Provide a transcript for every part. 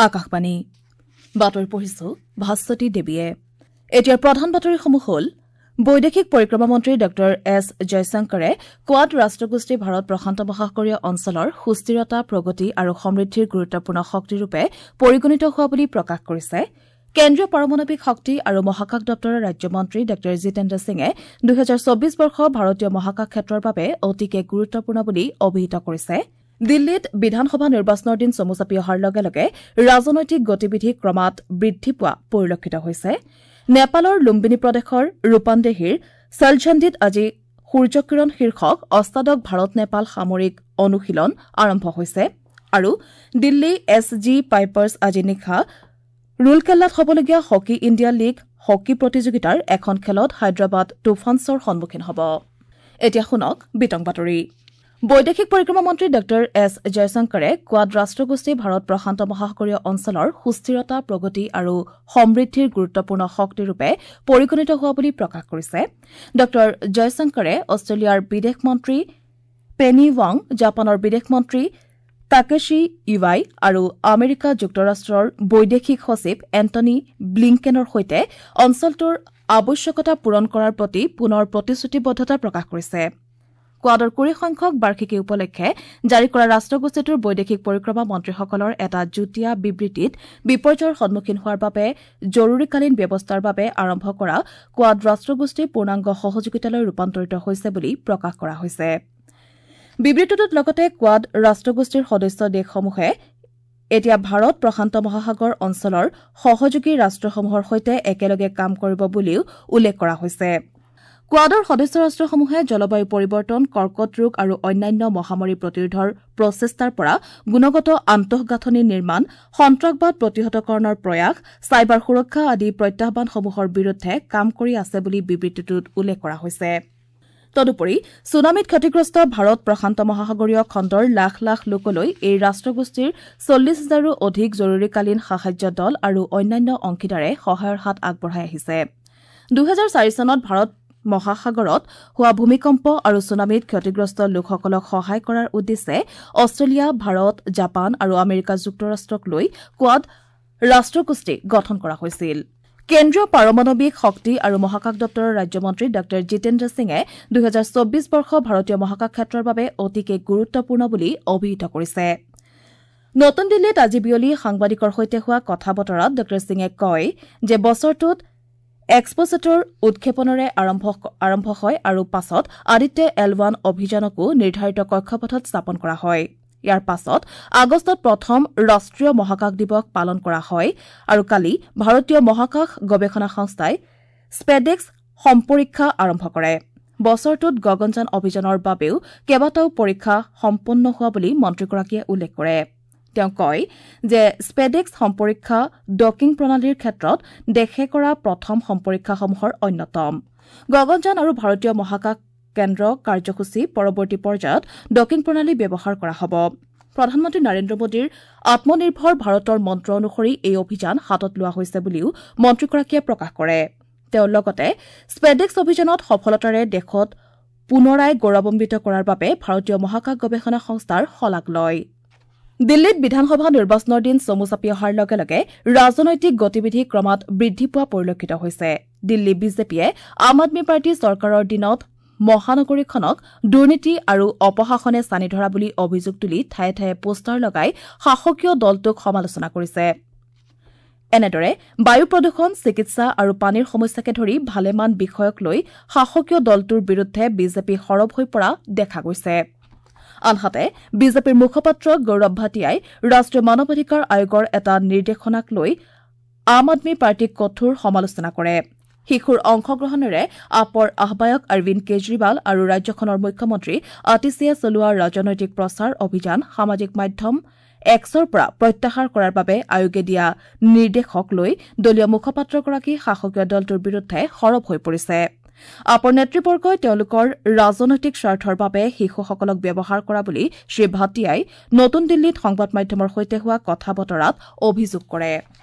আকাশবাণী বাতৰি পঢ়িছো ভাস্বতী দেৱীয়ে। এতিয়াৰ প্ৰধান বাতৰিসমূহ হ'ল: বৈদেশিক পৰিক্ৰমা মন্ত্ৰী ডঃ এছ জয়শংকৰে কোৱাড ৰাষ্ট্ৰগোষ্ঠী ভাৰত প্ৰশান্ত মহাসাগৰীয় অঞ্চলৰ সুস্থিৰতা, প্ৰগতি আৰু সমৃদ্ধিৰ গুৰুত্বপূৰ্ণ শক্তিৰূপে পৰিগণিত হোৱা বুলি প্ৰকাশ কৰিছে। কেন্দ্ৰীয় পাৰমাণৱিক শক্তি আৰু মহাকাশ দপ্তৰৰ ৰাজ্যমন্ত্ৰী ডঃ জিতেন্দ্ৰ সিঙে ২০২৪ বৰ্ষ ভাৰতীয় মহাকাশ ক্ষেত্ৰৰ বাবে অতিকে গুৰুত্বপূৰ্ণ বুলি অভিহিত কৰিছে। দিল্লীত বিধানসভা নিৰ্বাচনৰ দিন চমু চাপি অহাৰ লগে লগে ৰাজনৈতিক গতিবিধি ক্ৰমাৎ বৃদ্ধি পোৱা পৰিলক্ষিত হৈছে। নেপালৰ লুম্বিনী প্ৰদেশৰ ৰূপানদেহীৰ ছলঝণ্ডিত আজি সূৰ্যকিৰণ শীৰ্ষক অষ্টাদশ ভাৰত নেপাল সামৰিক অনুশীলন আৰম্ভ হৈছে। আৰু দিল্লী এছ জি পাইপাৰ্ছ আজি নিশা ৰুলকেল্লাত হ'বলগীয়া হকী ইণ্ডিয়া লীগ হকী প্ৰতিযোগিতাৰ এখন খেলত হায়দৰাবাদ তুফানছৰ সন্মুখীন হ'ব। এতিয়া শুনক বিতং বাতৰি। বৈদেশিক পৰিক্ৰমা মন্ত্ৰী ডঃ এছ জয়শংকৰে কোৱাড ৰাষ্ট্ৰগোষ্ঠী ভাৰত প্ৰশান্ত মহাসাগৰীয় অঞ্চলৰ সুস্থিৰতা, প্ৰগতি আৰু সমৃদ্ধিৰ গুৰুত্বপূৰ্ণ শক্তিৰূপে পৰিগণিত হোৱা বুলি প্ৰকাশ কৰিছে। ডঃ জয়শংকৰে অষ্ট্ৰেলিয়াৰ বিদেশ মন্ত্ৰী পেনি ৱাং, জাপানৰ বিদেশ মন্ত্ৰী তাকেশী ইৱাই আৰু আমেৰিকা যুক্তৰাষ্ট্ৰৰ বৈদেশিক সচিব এণ্টনী ব্লিংকেনৰ সৈতে অঞ্চলটোৰ আৱশ্যকতা পূৰণ কৰাৰ প্ৰতি পুনৰ প্ৰতিশ্ৰুতিবদ্ধতা প্ৰকাশ কৰিছে। কোৱাডৰ ২০ সংখ্যক বাৰ্ষিকী উপলক্ষে জাৰি কৰা ৰাষ্ট্ৰগোষ্ঠীটোৰ বৈদেশিক পৰিক্ৰমা মন্ত্ৰীসকলৰ এটা যুটীয়া বিবৃতিত বিপৰ্যয়ৰ সন্মুখীন হোৱাৰ বাবে জৰুৰীকালীন ব্যৱস্থাৰ বাবে আৰম্ভ কৰা কোৱাড ৰাষ্ট্ৰগোষ্ঠী পূৰ্ণাংগ সহযোগিতালৈ ৰূপান্তৰিত হৈছে বুলি প্ৰকাশ কৰা হৈছে। বিবৃতিটোত লগতে কোৱাড ৰাষ্ট্ৰগোষ্ঠীৰ সদস্য দেশসমূহে এতিয়া ভাৰত প্ৰশান্ত মহাসাগৰ অঞ্চলৰ সহযোগী ৰাষ্ট্ৰসমূহৰ সৈতে একেলগে কাম কৰিব বুলিও উল্লেখ কৰা হৈছে। কোৱাডৰ সদস্য ৰাষ্ট্ৰসমূহে জলবায়ু পৰিৱৰ্তন, কৰ্কট ৰোগ আৰু অন্যান্য মহামাৰী প্ৰতিৰোধৰ প্ৰচেষ্টাৰ পৰা গুণগত আন্তঃগাঁথনি নিৰ্মাণ, সন্ত্ৰাসবাদ প্ৰতিহতকৰণৰ প্ৰয়াস, চাইবাৰ সুৰক্ষা আদি প্ৰত্যাহ্বানসমূহৰ বিৰুদ্ধে কাম কৰি আছে বুলি বিবৃতিটোত উল্লেখ কৰা হৈছে। তদুপৰি ছুনামিত ক্ষতিগ্ৰস্ত ভাৰত প্ৰশান্ত মহাসাগৰীয় খণ্ডৰ লাখ লাখ লোকলৈ এই ৰাষ্ট্ৰগোষ্ঠীৰ ৪০ হাজাৰৰো অধিক জৰুৰীকালীন সাহায্য দল আৰু অন্যান্য অংশীদাৰে সহায়ৰ হাত আগবঢ়াই আহিছে। ২০০৪ চনত ভাৰত মহাসাগৰত হোৱা ভূমিকম্প আৰু ছুনামিত ক্ষতিগ্ৰস্ত লোকসকলক সহায় কৰাৰ উদ্দেশ্যে অষ্ট্ৰেলিয়া, ভাৰত, জাপান আৰু আমেৰিকা যুক্তৰাষ্ট্ৰক লৈ কোৱাড ৰাষ্ট্ৰগোষ্ঠী গঠন কৰা হৈছিল। কেন্দ্ৰীয় পাৰমাণৱিক শক্তি আৰু মহাকাশ দপ্তৰৰ ৰাজ্যমন্ত্ৰী ডঃ জিতেন্দ্ৰ সিঙে ২০২৪ বৰ্ষ ভাৰতীয় মহাকাশ ক্ষেত্ৰৰ বাবে অতিকে গুৰুত্বপূৰ্ণ বুলি অভিহিত কৰিছে। নতুন দিল্লীত আজি বিয়লি সাংবাদিকৰ সৈতে হোৱা কথা বতৰাত ডঃ সিঙে কয় যে বছৰটোত এক্সপ'ছেটৰ উৎক্ষেপণেৰে আৰম্ভ হয় আৰু পাছত আদিত্য এল ওৱান অভিযানকো নিৰ্ধাৰিত কক্ষপথত স্থাপন কৰা হয়। ইয়াৰ পাছত আগষ্টত প্ৰথম ৰাষ্ট্ৰীয় মহাকাশ দিৱস পালন কৰা হয় আৰু কালি ভাৰতীয় মহাকাশ গৱেষণা সংস্থাই স্পেডেক্স সম্পৰীক্ষা আৰম্ভ কৰে। বছৰটোত গগনযান অভিযানৰ বাবেও কেইবাটাও পৰীক্ষা সম্পন্ন হোৱা বুলি মন্ত্ৰীগৰাকীয়ে উল্লেখ কৰে। তেওঁ কয় যে স্পেডেক্স সম্পৰীক্ষা ডকিং প্ৰণালীৰ ক্ষেত্ৰত দেশে কৰা প্ৰথম সম্পৰীক্ষাসমূহৰ অন্যতম। গগনযান আৰু ভাৰতীয় মহাকাশ কেন্দ্ৰ কাৰ্যসূচী পৰৱৰ্তী পৰ্যায়ত ডকিং প্ৰণালী ব্যৱহাৰ কৰা হ'ব। প্ৰধানমন্ত্ৰী নৰেন্দ্ৰ মোদীৰ আত্মনিৰ্ভৰ ভাৰতৰ মন্ত্ৰ অনুসৰি এই অভিযান হাতত লোৱা হৈছে বুলিও মন্ত্ৰীগৰাকীয়ে প্ৰকাশ কৰে। তেওঁ লগতে স্পেডেক্স অভিযানত সফলতাৰে দেশত পুনৰাই গৌৰৱান্বিত কৰাৰ বাবে ভাৰতীয় মহাকাশ গৱেষণা সংস্থাৰ শলাগ লয়। দিল্লীত বিধানসভা নিৰ্বাচনৰ দিন চমু চাপি অহাৰ লগে লগে ৰাজনৈতিক গতিবিধি ক্ৰমাৎ বৃদ্ধি পোৱা পৰিলক্ষিত হৈছে। দিল্লী বিজেপিয়ে আম আদমী পাৰ্টী চৰকাৰৰ দিনত মহানগৰীখনক দুৰ্নীতি আৰু অপশাসনে ছানি ধৰা বুলি অভিযোগ তুলি ঠায়ে ঠায়ে পোষ্টাৰ লগাই শাসকীয় দলটোক সমালোচনা কৰিছে। এনেদৰে বায়ু প্ৰদূষণ, চিকিৎসা আৰু পানীৰ সমস্যাকে ধৰি ভালেমান বিষয়ক লৈ শাসকীয় দলটোৰ বিৰুদ্ধে বিজেপি সৰব হৈ পৰা দেখা গৈছে। আনহাতে বিজেপিৰ মুখপাত্ৰ গৌৰৱ ভাটিয়াই ৰাষ্ট্ৰীয় মানৱ অধিকাৰ আয়োগৰ এটা নিৰ্দেশনাক লৈ আম আদমী পাৰ্টীক কঠোৰ সমালোচনা কৰে। শিশুৰ অংশগ্ৰহণেৰে আপৰ আহ্বায়ক অৰবিন্দ কেজৰিৱাল আৰু ৰাজ্যখনৰ মুখ্যমন্ত্ৰী আতিশীয়ে চলোৱা ৰাজনৈতিক প্ৰচাৰ অভিযান সামাজিক মাধ্যম এক্সৰ পৰা প্ৰত্যাহাৰ কৰাৰ বাবে আয়োগে দিয়া নিৰ্দেশক লৈ দলীয় মুখপাত্ৰগৰাকী শাসকীয় দলটোৰ বিৰুদ্ধে সৰব হৈ পৰিছে। আপৰ নেতৃবৰ্গই তেওঁলোকৰ ৰাজনৈতিক স্বাৰ্থৰ বাবে শিশুসকলক ব্যৱহাৰ কৰা বুলি শ্ৰী ভাটিয়াই নতুন দিল্লীত সংবাদ মাধ্যমৰ সৈতে হোৱা কথা বতৰাত অভিযোগ কৰে।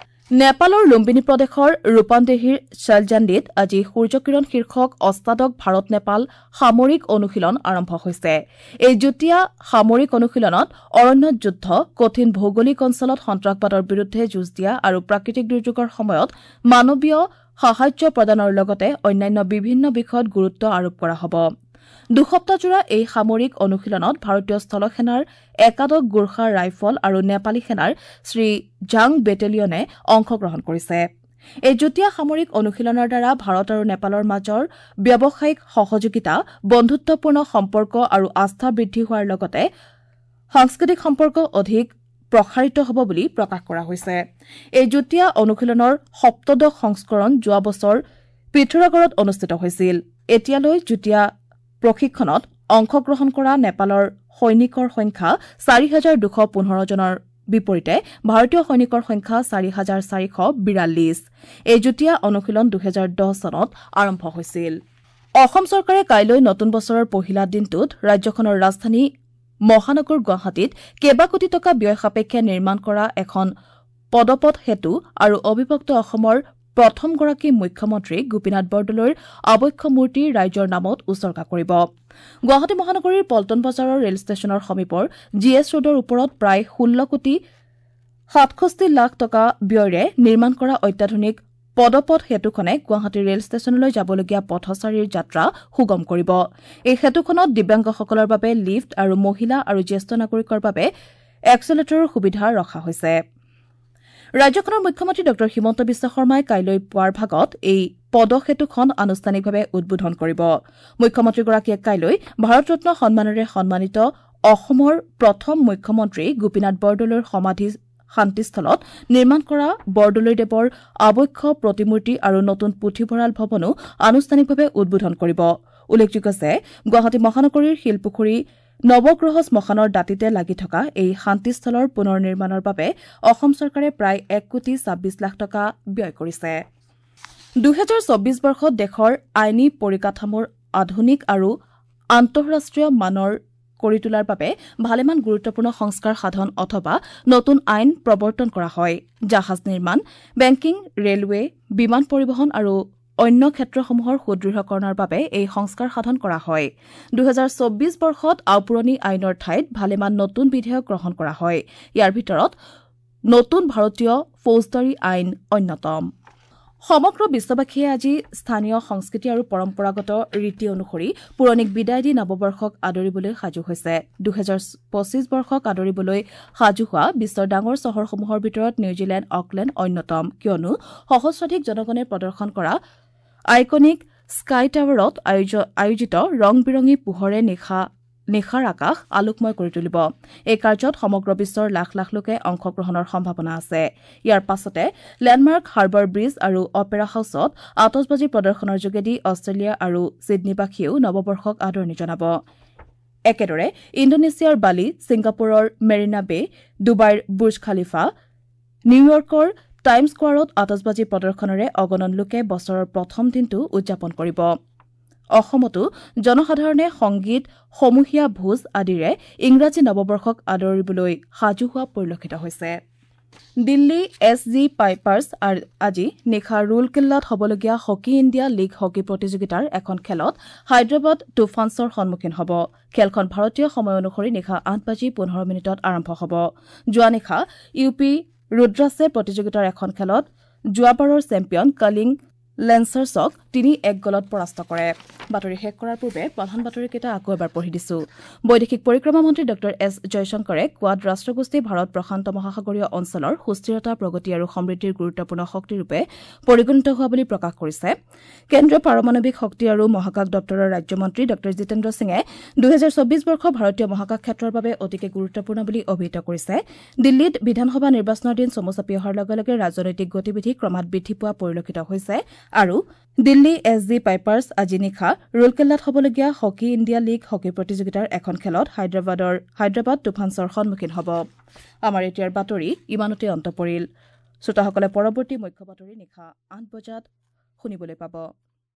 নেপালৰ লুম্বিনী প্ৰদেশৰ ৰূপানদেহীৰ শালজাণ্ডিত আজি সূৰ্যকিৰণ শীৰ্ষক অষ্টাদশ ভাৰত নেপাল সামৰিক অনুশীলন আৰম্ভ হৈছে। এই যুটীয়া সামৰিক অনুশীলনত অৰণ্যত যুদ্ধ, কঠিন ভৌগোলিক অঞ্চলত সন্ত্ৰাসবাদৰ বিৰুদ্ধে যুঁজ দিয়া আৰু প্ৰাকৃতিক দুৰ্যোগৰ সময়ত মানৱীয় সাহায্য প্ৰদানৰ লগতে অন্যান্য বিভিন্ন বিষয়ত গুৰুত্ব আৰোপ কৰা হ'ব। দুসপ্তাহজোৰা এই সামৰিক অনুশীলনত ভাৰতীয় স্থলসেনাৰ একাদশ গোৰ্খা ৰাইফল আৰু নেপালী সেনাৰ শ্ৰীঝাং বেটেলিয়নে অংশগ্ৰহণ কৰিছে। এই যুটীয়া সামৰিক অনুশীলনৰ দ্বাৰা ভাৰত আৰু নেপালৰ মাজৰ ব্যৱসায়িক সহযোগিতা, বন্ধুত্বপূৰ্ণ সম্পৰ্ক আৰু আস্থা বৃদ্ধি হোৱাৰ লগতে সাংস্কৃতিক সম্পৰ্ক অধিক প্ৰসাৰিত হ'ব বুলি প্ৰকাশ কৰা হৈছে। এই যুটীয়া অনুশীলনৰ সপ্তদশ সংস্কৰণ যোৱা বছৰ পিথোৰাগড়ত অনুষ্ঠিত হৈছিল। এতিয়ালৈ যুটীয়া প্ৰশিক্ষণত অংশগ্ৰহণ কৰা নেপালৰ সৈনিকৰ সংখ্যা ৪,২১৫ জনৰ বিপৰীতে ভাৰতীয় সৈনিকৰ সংখ্যা ৪,৪৪২। এই যুটীয়া অনুশীলন ২০১০ চনত আৰম্ভ হৈছিল। অসম চৰকাৰে কাইলৈ নতুন বছৰৰ পহিলা দিনটোত ৰাজ্যখনৰ ৰাজধানী মহানগৰ গুৱাহাটীত কেইবা কোটি টকা ব্যয় সাপেক্ষে নিৰ্মাণ কৰা এখন পদপথ সেতু আৰু অবিভক্ত অসমৰ প্ৰথমগৰাকী মুখ্যমন্ত্ৰী গোপীনাথ বৰদলৈৰ আৱক্ষ মূৰ্তি ৰাইজৰ নামত উছৰ্গা কৰিব। গুৱাহাটী মহানগৰীৰ পল্টন বজাৰৰ ৰেল ষ্টেচনৰ সমীপৰ জি এছ ৰোডৰ ওপৰত প্ৰায় ১৬ কোটি ৬৭ লাখ টকা ব্যয়েৰে নিৰ্মাণ কৰা অত্যাধুনিক পদপথ সেতুখনে গুৱাহাটী ৰেল ষ্টেচনলৈ যাবলগীয়া পথচাৰীৰ যাত্ৰা সুগম কৰিব। এই সেতুখনত দিব্যাংগসকলৰ বাবে লিফ্ট আৰু মহিলা আৰু জ্যেষ্ঠ নাগৰিকৰ বাবে এক্সেলেটৰৰ সুবিধা ৰখা হৈছে। ৰাজ্যখনৰ মুখ্যমন্ত্ৰী ড হিমন্ত বিশ্ব শৰ্মাই কাইলৈ পুৱাৰ ভাগত এই পদসেতুখন আনুষ্ঠানিকভাৱে উদ্বোধন কৰিব। মুখ্যমন্ত্ৰীগৰাকীয়ে কাইলৈ ভাৰতৰত্ন সন্মানেৰে সন্মানিত অসমৰ প্ৰথম মুখ্যমন্ত্ৰী গোপীনাথ বৰদলৈৰ সমাধি শান্তিস্থলত নিৰ্মাণ কৰা বৰদলৈদেৱৰ আৱক্ষ প্ৰতিমূৰ্তি আৰু নতুন পুথিভঁৰাল ভৱনো আনুষ্ঠানিকভাৱে উদ্বোধন কৰিব। উল্লেখযোগ্য যে গুৱাহাটী মহানগৰীৰ শিলপুখুৰী নৱগ্ৰহ শ্মশানৰ দাঁতিতে লাগি থকা এই শান্তিস্থলৰ পুনৰ নিৰ্মাণৰ বাবে অসম চৰকাৰে প্ৰায় ১ কোটি ২৬ লাখ টকা ব্যয় কৰিছে। ২০২৪ বৰ্ষত দেশৰ আইনী পৰিকাঠামোৰ আধুনিক আৰু আন্তঃৰাষ্ট্ৰীয় মানৰ কৰি তোলাৰ বাবে ভালেমান গুৰুত্বপূৰ্ণ সংস্কাৰ সাধন অথবা নতুন আইন প্ৰৱৰ্তন কৰা হয়। জাহাজ নিৰ্মাণ, বেংকিং, ৰেলৱে, বিমান পৰিবহণ আৰু অন্য ক্ষেত্ৰসমূহৰ সুদৃঢ়কৰণৰ বাবে এই সংস্কাৰ সাধন কৰা হয়। ২০২৪ বৰ্ষত আওপুৰণি আইনৰ ঠাইত ভালেমান নতুন বিধেয়ক গ্ৰহণ কৰা হয়। ইয়াৰ ভিতৰত নতুন ভাৰতীয় ফৌজদাৰী আইন অন্যতম। সমগ্ৰ বিশ্ববাসীয়ে আজি স্থানীয় সংস্কৃতি আৰু পৰম্পৰাগত ৰীতি অনুসৰি পুৰণিক বিদায় দি নৱবৰ্ষক আদৰিবলৈ সাজু হৈছে। ২০২৫ বৰ্ষক আদৰিবলৈ সাজু হোৱা বিশ্বৰ ডাঙৰ চহৰসমূহৰ ভিতৰত নিউজিলেণ্ড অকলেণ্ড অন্যতম, কিয়নো সহস্ৰাধিক জনগণে প্ৰদৰ্শন কৰা আইকনিক স্কাই টাৱাৰত আয়োজিত ৰং বিৰঙী পোহৰে নিশাৰ আকাশ আলোকময় কৰি তুলিব। এই কাৰ্যত সমগ্ৰ বিশ্বৰ লাখ লাখ লোকে অংশগ্ৰহণৰ সম্ভাৱনা আছে। ইয়াৰ পাছতে লেণ্ডমাৰ্ক হাৰ্বাৰ ব্ৰীজ আৰু অপেৰা হাউচত আতচবাজী প্ৰদৰ্শনৰ যোগেদি অষ্ট্ৰেলিয়া আৰু ছিডনীবাসীয়েও নৱবৰ্ষক আদৰণি জনাব। একেদৰে ইণ্ডোনেছিয়াৰ বালি, ছিংগাপুৰৰ মেৰিনা বে, ডুবাইৰ বুৰ্জ খালিফা, নিউয়ৰ্কৰ টাইম স্কোৱাৰত আতচবাজী প্ৰদৰ্শনেৰে অগণন লোকে বছৰৰ প্ৰথম দিনটো উদযাপন কৰিব। অসমতো জনসাধাৰণে সংগীত, সমূহীয়া ভোজ আদিৰে ইংৰাজী নৱবৰ্ষক আদৰিবলৈ সাজু হোৱা পৰিলক্ষিত হৈছে। দিল্লী এছ জি পাইপাৰ্ছ আজি নিশা ৰুলকিল্লাত হ'বলগীয়া হকী ইণ্ডিয়া লীগ হকী প্ৰতিযোগিতাৰ এখন খেলত হায়দৰাবাদ তুফানছৰ সন্মুখীন হ'ব। খেলখন ভাৰতীয় সময় অনুসৰি নিশা ৮:১৫ আৰম্ভ হ'ব। যোৱা নিশা ইউ পি ৰুদ্ৰাছে প্ৰতিযোগিতাৰ এখন খেলত যোৱাবাৰৰ চেম্পিয়ন কালিং লেন্সাৰ্ছক ৩-১ গলত পৰাস্ত কৰে। বাতৰি শেষ কৰাৰ পূৰ্বে প্ৰধান বাতৰিকেইটা আকৌ এবাৰ পঢ়ি দিছো। বৈদেশিক পৰিক্ৰমা মন্ত্ৰী ড এছ জয়শংকৰে কোৱাড ৰাষ্ট্ৰগোষ্ঠী ভাৰত প্ৰশান্ত মহাসাগৰীয় অঞ্চলৰ সুস্থিৰতা, প্ৰগতি আৰু সমৃদ্ধিৰ গুৰুত্বপূৰ্ণ শক্তিৰূপে পৰিগণিত হোৱা বুলি প্ৰকাশ কৰিছে। কেন্দ্ৰীয় পাৰমাণৱিক শক্তি আৰু মহাকাশ দপ্তৰৰ ৰাজ্যমন্ত্ৰী ড জিতেন্দ্ৰ সিঙে ২০২৪ বৰ্ষ ভাৰতীয় মহাকাশ ক্ষেত্ৰৰ বাবে অতিকে গুৰুত্বপূৰ্ণ বুলি অভিহিত কৰিছে। দিল্লীত বিধানসভা নিৰ্বাচনৰ দিন চমু চাপি অহাৰ লগে লগে ৰাজনৈতিক গতিবিধি ক্ৰমাৎ বৃদ্ধি পোৱা পৰিলক্ষিত হৈছে। আৰু দিল্লী এছ জি পাইপাৰ্ছ আজি নিশা ৰুলকেল্লাত হ'বলগীয়া হকী ইণ্ডিয়া লীগ হকী প্ৰতিযোগিতাৰ এখন খেলত হায়দৰাবাদ তুফানছৰ সন্মুখীন হ'ব। আমাৰ এতিয়াৰ বাতৰি ইমানতে অন্ত পৰিল। শ্ৰোতাসকলে পৰৱৰ্তী মুখ্য বাতৰি নিশা ৮ বজাত শুনিবলৈ পাব।